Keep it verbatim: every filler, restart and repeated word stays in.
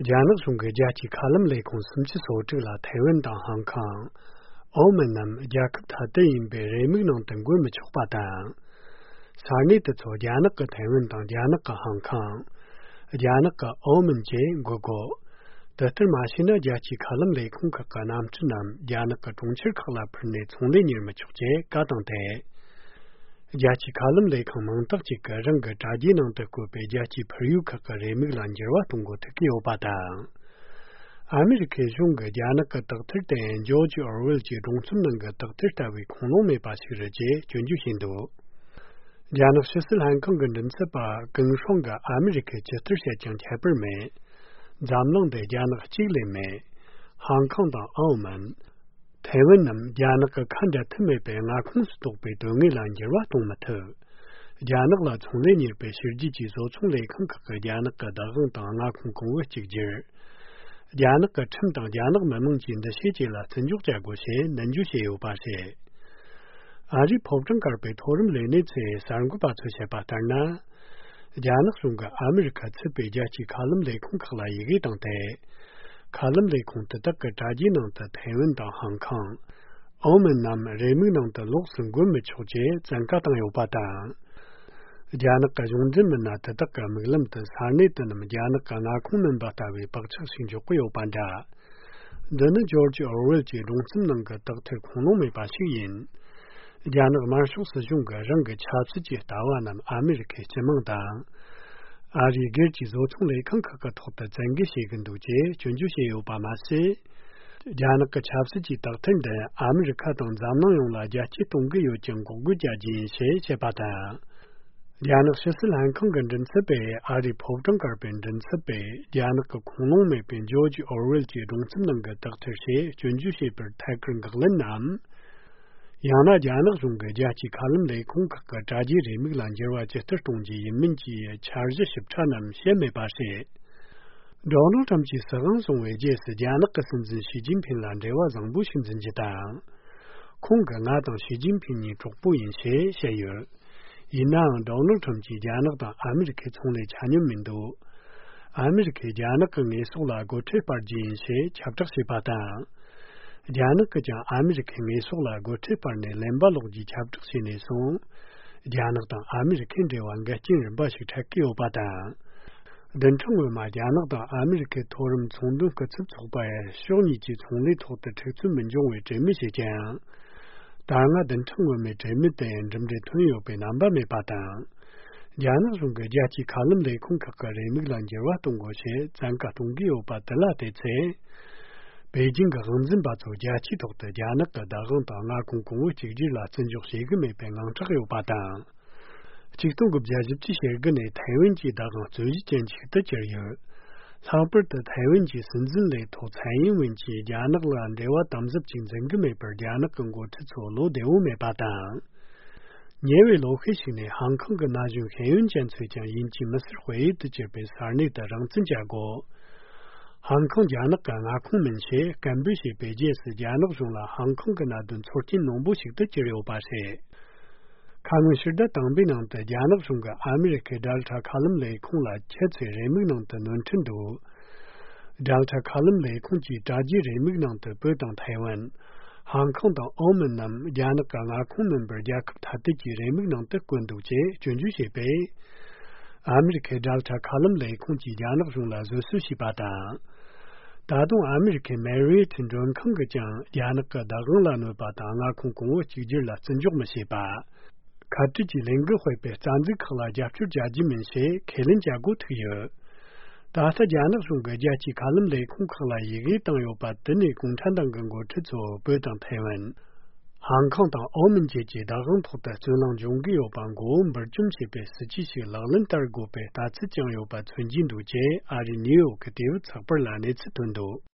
Janak Sunga Jachi Kalam Lekon Sumchi Sotila Taiwan Dang Hong Kong, Omanam Jakab Tatin Be Remignon Tangwe Machopatan, Sarni the Janaka Taiwan Dang Janaka Hong Kong, Janaka Oman J Gogo, the Machina Jachi Kalam Lekon Kakanam Tunam, Janaka Tunchir Kala Pernet only near Machoje, Gadante. Jachi Kalam Lekon Montachika Ranga Tajin the Kupe Jachi Peruka Remiglanjerwa Tungo Tekio Bata. America Junga Janaka Taktirta and George Orwell J. Dongsunanga Taktirta with Konome Basiraje, Junju Hindu. Janak Sissel Hankongan and Sapa, Gungshonga, America Chesterset Jan Chaperme, Zamlong de Janak Chile me, Hong Kong da Oman. Taiwanam Janaka Kanda Timepe and Akunsto be Dungilanjera Tomato. Janakla Tonlini be Shirji Zotunle Kankaka Janaka Dagan Akun Wechigir. Janaka Timtan Janak Mamunjin the Shijila Tanjukjagose, Nanjushe Upase. Ari Popton Carpet Torum Lenitse, Sarangupatu Sepatarna. Janakunga America Tipe Jachi Kalam de Kunkala Yigitante. Kalam Lekon Taka Tajin the Taiwan da Hong Kong. Omen Nam Reming the Loxon Gumichoje, Zankatan Yopata. Janaka Junzimana Taka Milam the Sarnitan Janaka Nakuman Batavi Bakchashin Jokoyo Panda. Then George Orwell Donsunanga Doctor Konome Bashin. Janak Marshal Sajunga Ranga Chapsiji Tawanam America Chemangdang. Ari Gerchi Zotunle Kankaka Tota Zangishi Ganduje, Junjushe Obamase, Janaka Chapsiji Doctende, America Don Zamnon La Jachi Tungiyo Jungo Gujaji She Chepata. Janak Sissel Hankongan Den Sebe, Ari Povton Garben Den Sebe, Janaka Konome Ben George Orwell Donsunanga Doctor She, Junjushe Per Takran Glenam. Yana Janak Zunga Jachi Kalam Le Kunkaka Jaji Remiglanjerwa Chester Tongji Minji Charge Shiptanam Sheme Base. Donald Tamchi Sagan Songwe Jes Janaka Sinzin Xi Jinping Landewa Zangbushin Zinjita. Kunga Nadan Xi Jinping Chokbu in She Shayer. Inang Donald Tamchi Janak America Tongle Chanyum Mindu. America Janaka Nesola Go Triparji in She Chapter Sipata. Janaka America Mesola go Triparne Lembalogi chapter Sineson, Janaka American de Wangachin Bashi Takio Bata. Then Tunguma Janaka America Torum Tundu Katsup by Shonichi Tungli taught the Texumanjo with Jemisi Jan. Danga then Tunguma Jemite and Jemde Tunyo Penamba me Bata. Jana Zunga Jachi Kalam de Kunkaka Remiglanjera Tungoshe, Zanka Tungio Batalate. Beijing Ganzin Bato Jachi Doctor Janaka Dagan Tanga Kungu Chigila Sanjok Shigame Pengang Chakyo Bata. Chiktung of Jajipchi Shagane, Taiwanji Dagan Zujian Chitacher. Sabert the Taiwanji Sinzin Le to Taiwan Winchi, Janakla and Dewa Thumbs up Chinzangame per Janakan go to Solo de Ume Bata. Never location Hong Kong Naju Hayun Jansujan Yinchi Master Hui to Japan Sarni the Rangzin Jago. Hong Kong Janaka Nakun Menche, Gambushi Bejes Janok Zula, Hong Kong Nadun fourteen Nombushik the Cherio Base. Kamushida Tambinant, Janok Zunga, America Delta Column Le Kula, Chetsi Remignant, Nuntundu. Delta Column Le Kunji, Daji Remignant, Burton Taiwan. Hong Kong Omenam, Janaka Nakun member Jacob Tatiki Remignant, Kunduche, Junjushi Bay. America Delta Column Le Kunji Janok Zula, Zusushi Bata. Dadung American married in John Kongajang, Janaka Dagula no Batanga Kungu Chijila Sanjuk Masiba. Katiji Lengu Hope, Zanzikala Jaftu Jajimin Se, Kelin Jago to you. Data Janak Zunga Jachi Kalam Le Kunkala Yigi Tango Batini Kuntandango Tizo, Burton Taiwan. Hong Kong da Omen Jeji Dagang Tota Zulang Jungi Bango, Berjum Shipe, Sichi Lalan Targo Pe, Tatsi Jang Yoba Tunjin Duje, Ari New, Kativ, Saperlan, it's Tundo.